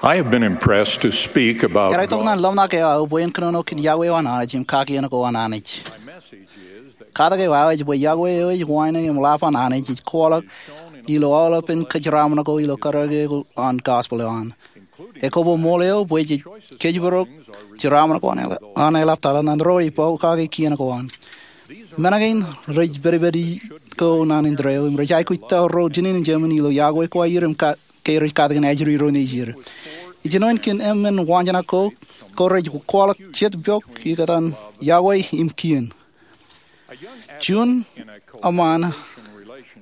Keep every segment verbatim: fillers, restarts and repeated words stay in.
I have been impressed to speak about Eḷak tok God. Ñan ḷōmṇak eo aō bwe en kōnono kōn yokwe eo an Anij im kakien ko an Anij. Katak eo aō ej bwe yokwe eo ej wānōk im ḷap an Anij ej kwaḷọk ilo aolepān kōjeraaṃṃan ko ilo karōke an gospel eo an. Ekwe, ṃool eo bwe jej kōjparok jeraaṃṃan ko an eḷap, an eḷaptata ñan ro rej pokake kien ko an. Men kein rej pedped ko naan indeeo im rej aikuj ta ro jinen im jemān ilo yokwe ko aer im ka ke rej katakin ajri ro nejier. Ijin wōt kōn emān waanjoṇak ko, ko rej kwaḷọk jet pok ikōtaan yokwe im kien. Juon eṃṃan,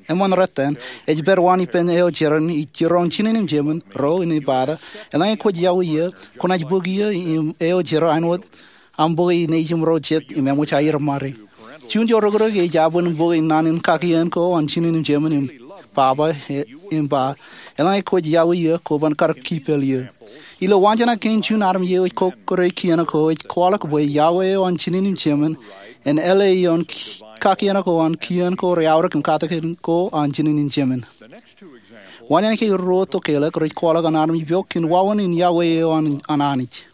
eṃṃan rot eṇ, ej pād wōt ippān eo jeran ij jiroñ jinen im jemān ro im ej ba ta, eḷaññe kwōj yokwe eō, kwōnaaj bōk eō im eo jeran āinwōt aṃ bōke nejiṃ ro jet im eṃōj aer ṃare. Juon ijo rōkrōk ej aban bōke naan in kakien ko an jinen im jemān im baba e-, im ba, eḷaññe kwōj yokwe eō, kwō ban kar kipel eō. Ilo waanjoṇak kein, juon armej eo ej kokkure kien ko ej kwaḷọk bwe yokwe eo an jinen im jemān en āle ioon ki-, kakien ko an kien ko reaorōk im katakin ko an jinen im jemān. Waanjoṇak eo ruo tok elōñ rej kwaḷọk an armej pok kōn wāween in yokwe eo an, an Anij.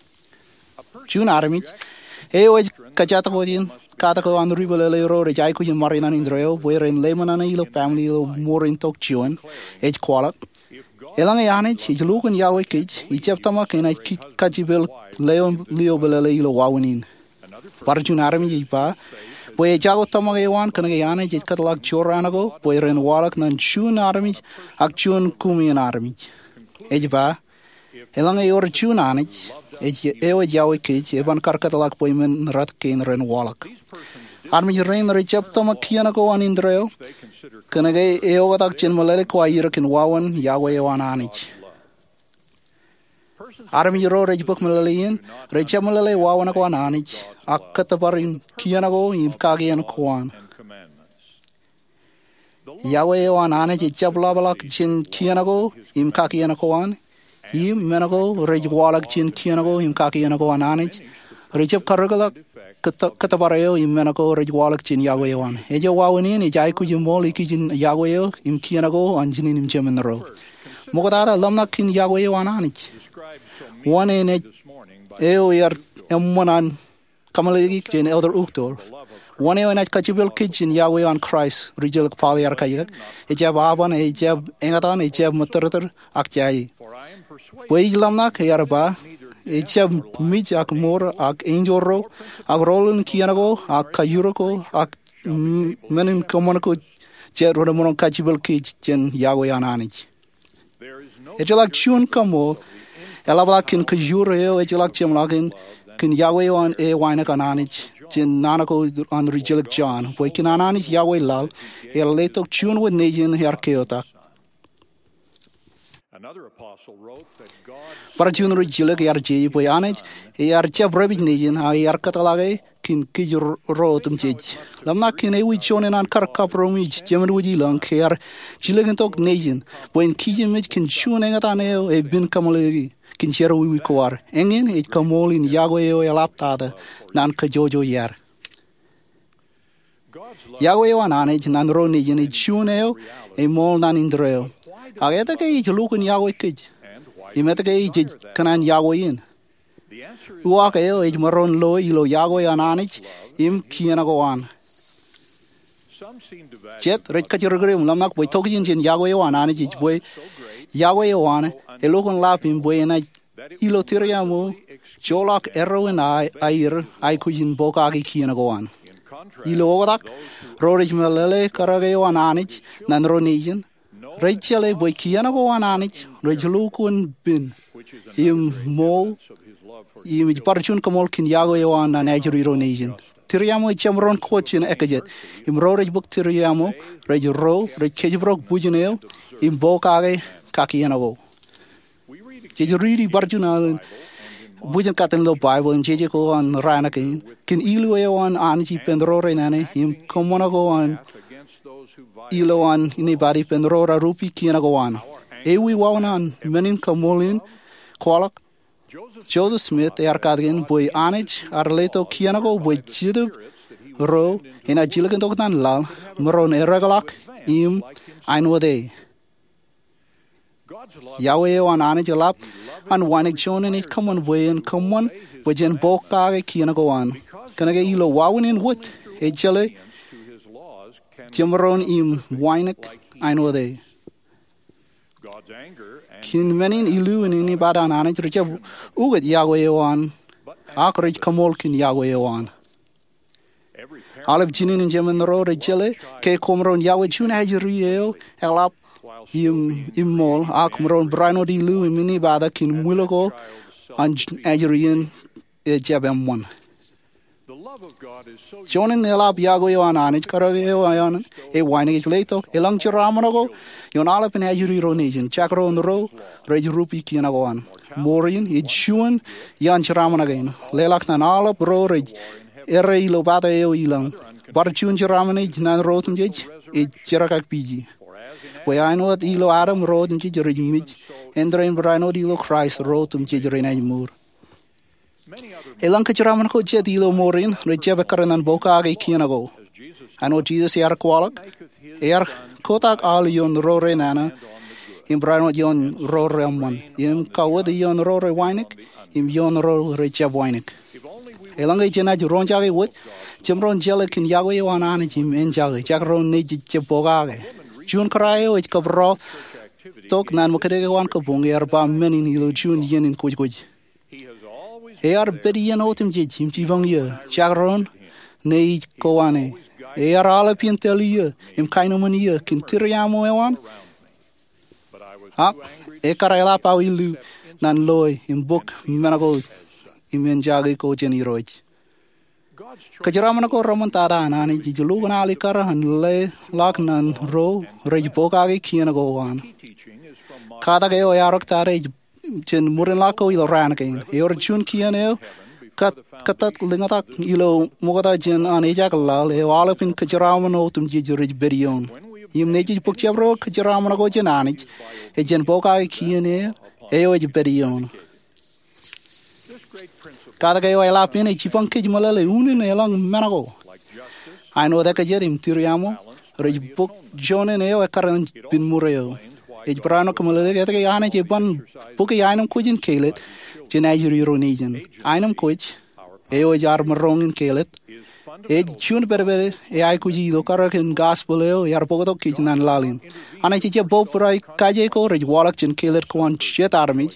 Juon armej eo ej kōjatdikdik in katak ko an ri-peḷeḷe ro rej aikuj in ṃare naan indeeo bwe ren leṃōṇōṇō ilo family ilo ṃoor in tok juon, ej kwaḷọk, eḷaññe Anij ej lukkuun yokwe kōj, ijab tōmak enaaj kajjipel lio, lio peḷeḷe ilo wāween in. Bar juon armej ej ba bwe ejako tōmak eo an kōnke Anij ej kōtḷọk jorrāān ko bwe ren waḷọk ñan juon armej ak juon kuṃwin armej. Ej ba, eḷaññe ewōr juon Anij ej, eo ej yokwe kōj, eban kar kōtḷọk bwe men rot kein ren waḷọk. Armej rein rej jab tōmak kien ko an indeeo kōnke eoktak jān meḷeḷe ko aer kōn wāween yokwe eo an Anij. Armej ro rej bōk meḷeḷe in rej jab meḷeḷe wāween ko an Anij ak kōttōpar in kien ko im kakien ko an. Yokwe eo an Anij ejab ḷapḷọk jān kien ko im kakien ko an, im men ko rej waḷọk jān kien ko im kakien ko an Anij rej jab karreoḷọk kōt-, kōttōpar eo im men ko rej waḷọk jān yokwe eo an. Ej wāween in ej aikuj in ṃool ikijjien yokwe eo im kien ko an jinen im jemān ro. Ṃoktata, ḷōmṇak kōn yokwe eo an Anij. Wōn eṇ ej eo ear eṃṃan an kameḷeḷeiki jān Elder Uchtdorf. Wōn eo enaaj kajjipel kōj jān yokwe eo an Kraist, rijjelōk Paul ear kajjitōk, ejab aban, ejab eñtaan, ejab mōttōrtōr, ak jāje. Bwe ij ḷōmṇak, ear ba, ejab mej ak mour, ak enjeḷ ro, ak rool in kien ko, ak kajjirōk ko, ak m-, men in kōṃṃan ko jet rej maroñ kajjipel kōj jān yokwe an Anij. Ejjeḷọk juon kaṃṃool eḷapḷọk kōn kōjro eo ejjeḷọk jeṃḷọkin kōn yokwe eo an e wānōk an Anij jān naan ko an rijjelōk John, bwe kōn an Anij yokwe laḷ, ear letok juon wōt nejin ear keotak. Bar juon rijjelōk ear jeje bwe Anij ear jab repej nejin, ak ear kōtḷọke kōn kōj ro otemjej. Ḷōmṇak kōn ewi juon eṇ an kar kapromiij, jemān wōj ilọñ, ke ear jilkintok nejin bwe en kijenmej kōn juon eñtaan eo epen kameḷeḷeiki kōn jerọwiwi ko ad. Eñin ej kaṃool in yokwe eo eḷaptata naan kōjojoi ad. Yokwe eo an Anij ñan ro nejin ej juon eo eṃool naan indeeo. Ak etke ej lukkuun yokwe kōj? Im etke ej kōṇaan yokwe in? Uwaak eo ej maroñ lo ilo yokwe an Anij im kien ko an. Jet rej kajjirkir im ḷōmṇak bwe tokjān jān yokwe eo an Anij ej bwe yokwe eo an elukkuun ḷap im bwe enaaj ilo tūriaṃo joḷọk erro in a-, aer aikuj in pokake kien ko an. Ilo oktak, ro rej meḷeḷe karōke eo an Anij ñan ro nejin rej jeḷā bwe kien ko an Anij rej lukkuun pen im ṃool, im ej bar juon kaṃool kōn yokwe eo an ñan ajri ro nejin. Tūriaṃo ejjab maroñ kōj jān ekajet, im ro rej bōk tūriaṃo rej ro rej kōjparok bwijin eo im pokake kakien ko. Jej riiti bar juon alen bwijin katten ilo Baibōḷ im jeje ko an raan kein, kōn ilu eo an Anij ippān ro rej nana im kōṃṃan ko an ilo an inepata ippān ro rej rupi kien ko an. Ewi wāween an men in kaṃool in kwaḷọk? Joseph Smith ear katakin bwe Anij ear letok kien ko bwe Jetōb ro enaaj jilkintok ñan laḷ, maroñ ereokḷọk im āinwōt e. Yahweh eo an Anij eḷap an wānōk juon in ej kōṃṃan bwe en kōṃṃan bwe jen pokake kien ko an. Kōnke ilo wāween in wōt, ejjeḷọk jemaroñ im wānōk āinwōt e. Kien menin illu im inepata an Anij rej jab ukōt Yahweh eo an, ak rej kaṃool kien Yahweh eo an. Aolep jinen in jemān ro rej jeḷā ke kwōmaroñ Yahweh juon ajri eo eḷap im ṃool, ak maroñ barāinwōt illu im inepata kien ṃwil ko an ajri in ejjab eṃṃan. Juon in eḷap Yahweh eo an Anij, karōk eo an e wānōk, ej letok eḷaññe jeraaṃṃan ko ioon aolepān ajri ro nejin, jekdọọn ro rej rup ikien ko an. Ṃoor in ej juon iaan jeraaṃṃan kein, leḷọk ñan aolep ro rej errā ilo pata eo ilañ. Bar juon jeraaṃṃan ej naan ro otemjej ej jerkakpeje. Bwe āinwōt ilo Adam ro otemjej rej mej, āindein barāinwōt ilo Kraist ro otemjej renaaj mour. Eḷaññe kōjeraaṃṃan ko jet ilo ṃoor in rej jab ekkar ñan pokake kien ko. Āinwōt Jisōs ear kwaḷọk, ear kotak aḷ ioon ro renana im barāinwōt ioon ro reeṃṃan, im kawōt ioon ro rewānōk im ioon ro rejjab wānōk. Eḷaññe jenaaj roñjake wōt, jemaroñ jeḷā kien Yahweh eo an Anij im enjake, jekdọọn nejiej jab pokake. Juon kōrā eo ej kōpooḷ tok ñan ṃōkaj ko an kabuñ ear ba men in ilo juon iien in kwōjkwōj. Ear pād iien otemjej im jipañ eō, jekdọọn neij ko an e. Ear aolep iien tōl eō im kaenōṃṃan eō kōn tūriaṃo eo an. Ak ekkar eḷap aō illu ñan loe im bōk men ko im enjake ko jān Irooj. Kōjeraaṃṃan ko reṃṃantata an Anij ej lukkuun al ekkar an leḷọk ñan ro rej pokake kien ko an. Katak eo eaorōktata ej jān ṃōdenḷọk ko ilo raan kein. Ewōr juon kien eo kōttat lōñtak ilo ṃokta jān an ejak laḷ eo aolepān kōjeraaṃṃan otemjej rej pād ioon. Im nejiej bōk jabdewōt kōjeraaṃṃan ko jān Anij, ej jān pokake kien eo ej pād ioon. Katak eo eḷap in ej jipañ kōj meḷeḷe unin eḷaññe men ko, āinwōt ekajet im tūriaṃo, rej bōk joñan eo ekkar ñan pinmuur eo. Ej barāinwōt kōmeḷeḷeik etke Anij eban bōke aenōṃ kwōj in kelōt jān ajri ro nejin. Aenōṃ kwōj, eo ej ad maroñ in kelōt, ej juon pedped eaikuji ilo karōk in gospel eo ear bōktok kōj ñan laḷ in. Anij ejjab bōbrae kaje ko rej waḷọk jān kelōt ko an jet armej,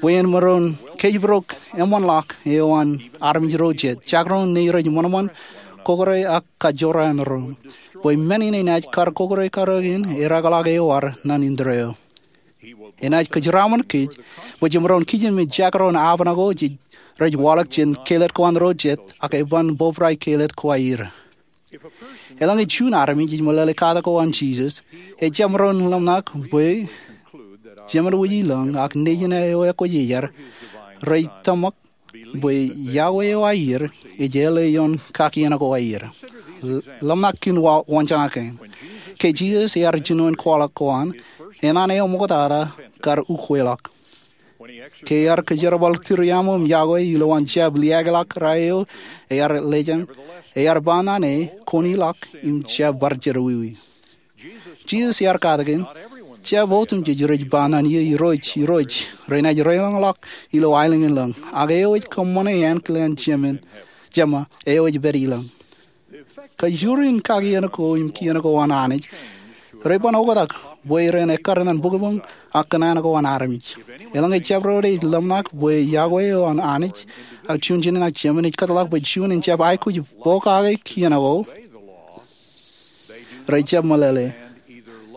bwe en maroñ kōjparok eṃṃanḷọk eo an armej ro jet, jekdọọn nejiej ṃanṃan, kōkōrā ak kajorrāān doon. Bwe men in enaaj kar kōkōrā karōk in eddekḷọk eo ad ñan indeeo eo. Enaaj kōjeraaṃṃan kōj bwe jemaroñ kijenmej jekdọọn aō pen ko rej waḷọk jān kelōt ko an ro jet, ak eban bōbrae kelōt ko aer. Eḷaññe juon armej ej meḷeḷe katak ko an Jisōs, ejjab maroñ ḷōmṇak bwe jemān wōj ilañ ak nejin eo ekwōj iar rej tōmak bwe Yahweh eo aer ej āle ioon kakien ko aer. Ḷōmṇak kōn waanjoñak kein. Ke Jisōs ear jinoin kwaḷọk ko an, enana eo ṃoktata kar ukweḷọk. Ke ear kōjerbal tūriaṃo im Yahweh ilowaan jab liaakḷọk kōrā eo ear lejān, ear ba ñan e, koneḷọk im jab bar jerọwiwi. Jisōs ear katakin, jab otemjej rej ba ñan eō Irooj, Irooj, renaaj deḷọñḷọk ilo aelōñ in lañ, ak eo ej kōṃṃane ānkilāān Jema eo ej pād ilañ. Kajjioñ in kakien ko im kien ko an Anij reban oktak bwe ren ekkar ñan bōkbōk ak kōṇaan ko an armej. Eḷaññe jabdewōt ej ḷōmṇak bwe Yahweh eo an Anij ak juon jinōṇak Jemān ej kōtḷọk bwe juon en jab aikuj pokake kien ko, rej jab meḷeḷe,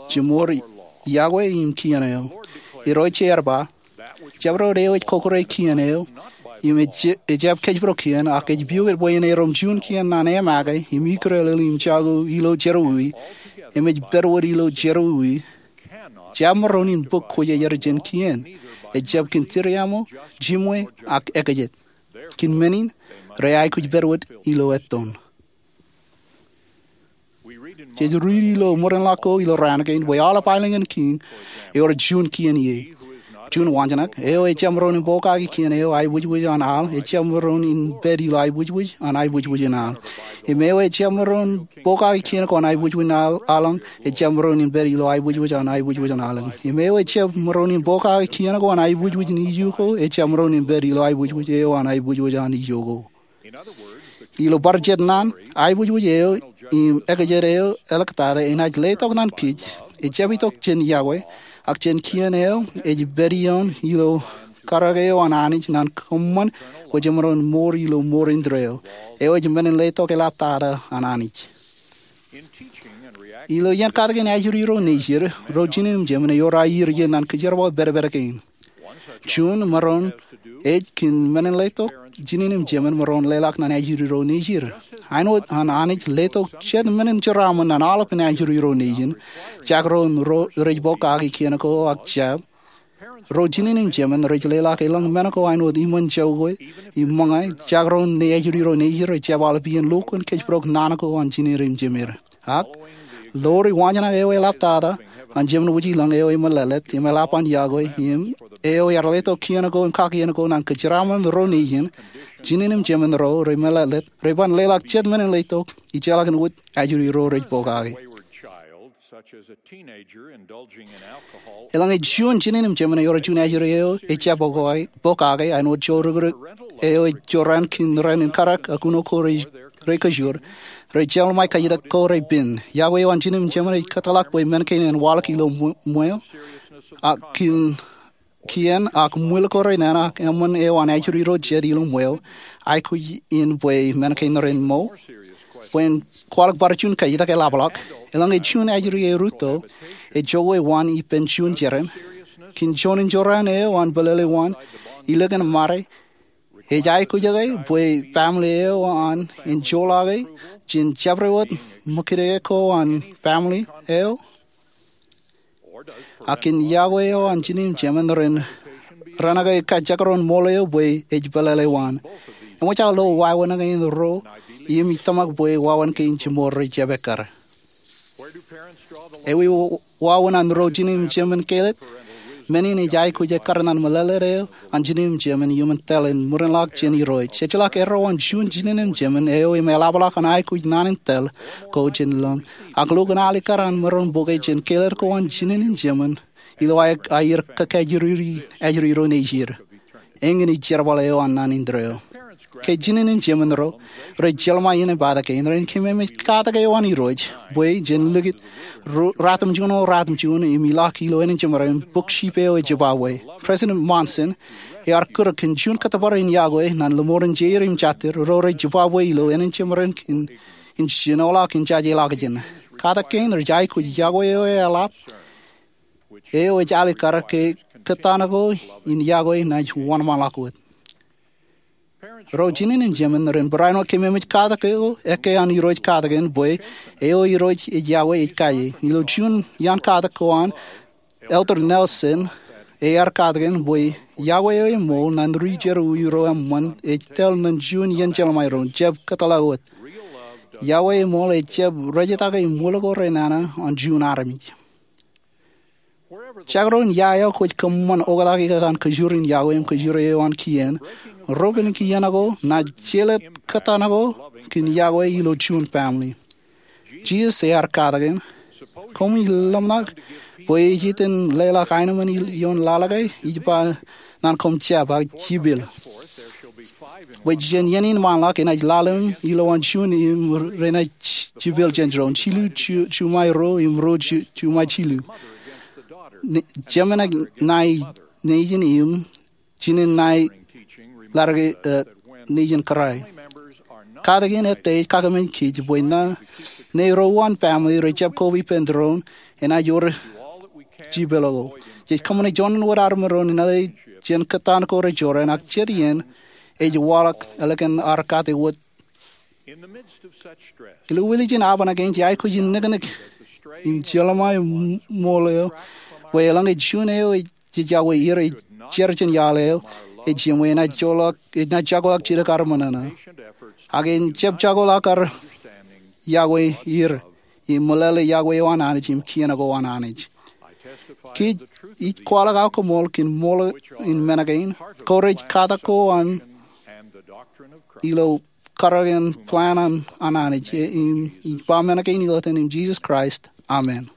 jimor Yahweh im kien eo. Irooj ear ba, jabdewōt eo ej kōkōrā kien eo im ejjab kōjparok kien, ak ej piukot bwe en erom juon kien ñan emake im ikdeḷeḷe im jako ilo jerọwiwi, im ej pād wōt ilo jerọwiwi, jab maroñ in bōk kwōjarjar jān kien. Ejjab kōn tūriaṃo, jiṃwe, ak ekajet. Kōn men in, re aikuj pād wōt ilo ettoon. Jej riiti ilo ṃōdenḷọk ko ilo raan kein bwe aolep aelōñ in kiiñ ewōr juon kien ie. Juon waanjoñak, eo ejjab maroñ in pokake kien eo aiboojoj an al ejjab maroñ in pād ilo aiboojoj an aiboojoj in al. Im eo ejjab maroñ in pokake kien ko an aiboojoj in aḷ-, aḷañ, ejjab maroñ in pād ilo aiboojoj an aiboojoj in aḷañ. Im eo ejjab maroñ in pokake kien ko an aiboojoj in ijo ko, ejjab maroñ in pād ilo aiboojoj eo an aiboojoj an ijo ko. Ilo bar jet naan, aiboojoj eo im ekjed eo āliktata enaaj letok ñan kōj, ejjab itok jān yokwe, ak jān kien eo ej pād ioon ilo karōk eo an Anij ñan kōṃṃan bwe jemaroñ mour ilo mour indeeo. Eo ej men in letok eḷaptata an Anij. Ilo iien katakin ajri ro nejid, ro jinen im jemān ewōr aer iien ñan kōjerbal pedped kein. Juon maroñ ej kōn men in letok jinen im jemān maroñ leḷọk ñan ajri ro nejid. Āinwōt an Anij letok jet men in jeraaṃṃan ñan aolepān ajri ro nejin, jekdọọn ro rej pokake kien ko ak jab, ro jinen im jemān rej leḷọk elōñ men ko āinwōt iṃōn jokwe im ṃōñā. Jekdọọn ṇe ajri ro nejid rej jab aolep iien lo kōn kōjparok naan ko an jinen im jemān. Ak, ḷoor waanjoñak eo eḷaptata an Jemān Wūjilōñ eo emeḷeḷe im eḷap an yokwe, im eo ear letok kien ko im kakien ko ñan kōjeraaṃṃan ro nejin, jinen im jemān ro remeḷeḷe, reban leḷọk jet men in letok ejjeḷọk wōt ajri ro rej pokake. Eḷaññe juon jinen im jemān ewōr juon ajri eo ejjab pokake, pokake, āinwōt joorukrik eo ej jorrāān kōn ren in karōk ak uno ko rej, rej kōjur, rej jeḷā ṃae kajjitōk ko rej pen. Yokwe eo an jinen im jemān ej kōtḷọk bwe men kein en waḷọk ilo ṃwe-, ṃweo, ak kōn kien ak ṃwil ko renana, eṃṃan eo an ajri ro jet ilo ṃweo, aikuj in bwe men kein ren mour. Bwe in kwaḷọk bar juon kajjitōk eḷapḷọk, eḷaññe juon ajri eo rūtto, ejokwe waan ippān juon jeran, kōn juon in jorrāān eo an pelele waan, ilikin mare, ej aikuj ke bwe family eo an en joḷọke jān jabdewōt ṃōkaj ko an family eo? Ak kōn yokwe eo an jinen im jemān ren, ren ke kajekdọọn ṃool eo bwe ej pelele waan? Eṃōj aō lo wāween kein ro im ij tōmak bwe wāween kein jiṃor rej jab ekkar. Ewi wa-, wāween an ro jinen im jemān kelet? Men in ej aikuj ekkar ñan meḷeḷe eo an jinen im jemān iuṃwin tōl in ṃwirinḷọk jān Irooj. Ejjeḷọk erro an juon jinen im jemān eo im eḷapḷọk an aikuj naan in tōl ko jān lōñ. Ak lukkuun alikkar an maroñ bōke jān kelet ko an jinen im jemān ilo aer, aer kōkajri, ajri ro nejid. Eñin ej jerbal eo an naan indeeo. Ke jinen im jemān ro rej jeḷā ṃae iien in pād kein, ren kememej katak eo an Irooj bwe jen likūt ro, ratimjuon, ratimjuon im ilọk ilo ānin jemān ren bōk jipeo ej jibabwe. President Monson ear kūr kōn juon kōttōpar in yokwe ñan limour in jeir im jatid ro rej jibabwe ilo ānin jemān ren kōn in jinoḷọk in jajeḷọkjeṇ. Katak kein rej aikuj yokwe eo eḷap eo ej alikkar ke kōttan ko in yokwe naaj wōnṃaanḷọk wōt. Ro jinen im jemān ren barāinwōt kememej katak eo, ekkā an Irooj katak in bwe eo Irooj ej yokwe ej kaje. Ilo juon iaan katak ko an Elder Nelson, ear katak in bwe yokwe eo eṃool ñan ri jerọwiwi ro eṃṃan ej tōl ñan juon iien jeḷā ṃae ro, jab kōtḷọk wōt. Yokwe eṃool ejjab rejtake im ṃwil ko renana an juon armej. Jekdọọn ia eo kwōj kōṃṃan oktak ikōtaan kōjur in yokwe im kōjur eo an kien, rōkin kien ko naaj jelōt kōttan ko kōn yokwe ilo juon family. Jisōs ear katak in, koṃij ḷōmṇak bwe ij itok in leḷọk aenōṃṃan ioon laḷ ke? Ij ba ñan koṃ, jab, ak jipel. Bwe jān iien in ṃaanḷọk enaaj lale ilo an juon im renaaj jipel jān doon, jilu ju-, juṃae ruo im ruo ju-, juṃae jilu. Ne-, jemān ṇae nejin im jinen ṇae ḷaddik, eh, nejin kōrā. Katak in ettā ej kakememej kōj bwe ṇe, ṇe ro an family rej jab koba ippān doon enaaj wōr jipel ko. Jej kōṃṃane juon wōt armej doon in ale jān kōttan ko rej jorrāān, ak jet iien ej waḷọk ālikin ad kate wōt. Ilo wiljin apañ kein jej aikuj in niknik im jeḷā ṃae ṃool eo bwe eḷaññe juon eo ej jej yokwe er ej jar jān iaḷ eo ej jiṃwe, enaaj joḷọk, enaaj jokḷọk jidik ad ṃōṇōṇō. Ak en jab jokḷọk ad yokwe er im meḷeḷe yokwe eo an Anij im kien ko an Anij. Kōj, ij kwaḷọk aō koṃṃool kōn ṃool in men kein, ko rej katak ko an ilo karōk in plan an Anij. Im ij ba men kein ilo etan in Jisōs Kraist, amen.